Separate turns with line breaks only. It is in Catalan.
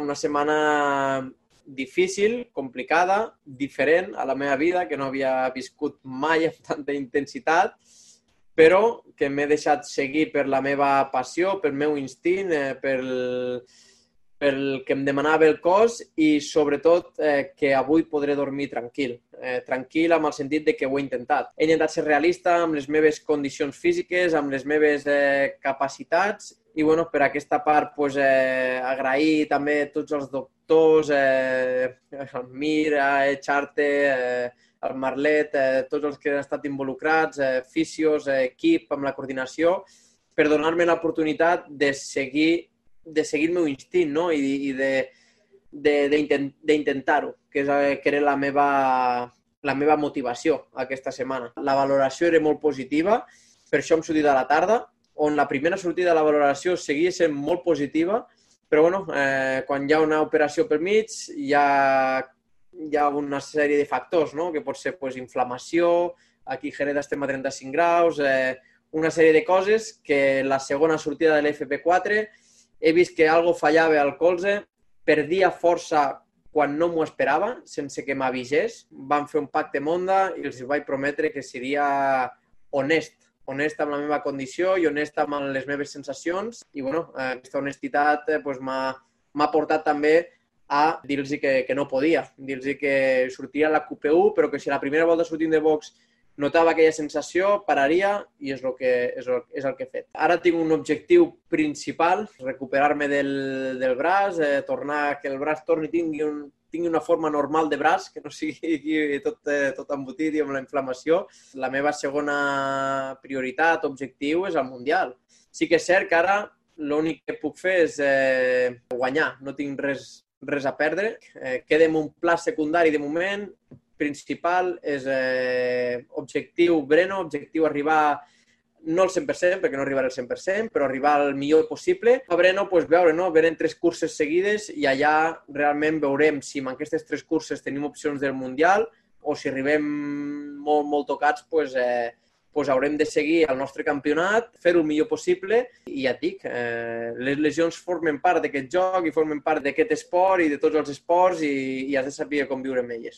una setmana difícil, complicada, diferent a la meva vida, que no havia viscut mai amb tanta intensitat, però que m'he deixat seguir per la meva passió, pel meu instint, pel que em demanava el cos i, sobretot, que avui podré dormir tranquil. Tranquil amb el sentit de que ho he intentat. He intentat ser realista amb les meves condicions físiques, amb les meves capacitats i, bueno, per aquesta part, agrair també a tots els doctors, el Mir, Charte, el Marlet, tots els que han estat involucrats, fisios, equip, amb la coordinació, per donar-me l'oportunitat de seguir el meu instint, no? I d'intentar-ho, que era la meva motivació aquesta setmana. La valoració era molt positiva, per això hem sortit a la tarda, on la primera sortida de la valoració seguia sent molt positiva, però bueno, quan hi ha una operació pel mig hi ha una sèrie de factors, no? Que pot ser inflamació, aquí a Jerez estem a 35 graus, una sèrie de coses que la segona sortida de l'FP4 he vist que algo fallava al colze, perdia força quan no m'ho esperava, sense que m'avisés. Vam fer un pacte amb Honda i els vaig prometre que seria honest amb la meva condició i honest amb les meves sensacions. I bueno, aquesta honestitat m'ha portat també a dir-los que no podia, dir-los que sortiria la QP1, però que si la primera volta sortint de box notava aquella sensació, pararia i és el que he fet. Ara tinc un objectiu principal, recuperar-me del braç, tornar que el braç torni i tingui una forma normal de braç, que no sigui tot embotit i amb la inflamació. La meva segona prioritat, objectiu, és el Mundial. Sí que és cert que ara l'únic que puc fer és guanyar, no tinc res a perdre. Queda en un pla secundari de moment. Principal és objectiu Breno, objectiu arribar no al 100%, perquè no arribaré al 100%, però arribar al millor possible. A Breno, veure, no? Venen 3 curses seguides i allà realment veurem si en aquestes 3 curses tenim opcions del Mundial o si arribem molt tocats, haurem de seguir el nostre campionat, fer-ho el millor possible i ja et dic, les lesions formen part d'aquest joc i formen part d'aquest esport i de tots els esports i has de saber conviure amb elles.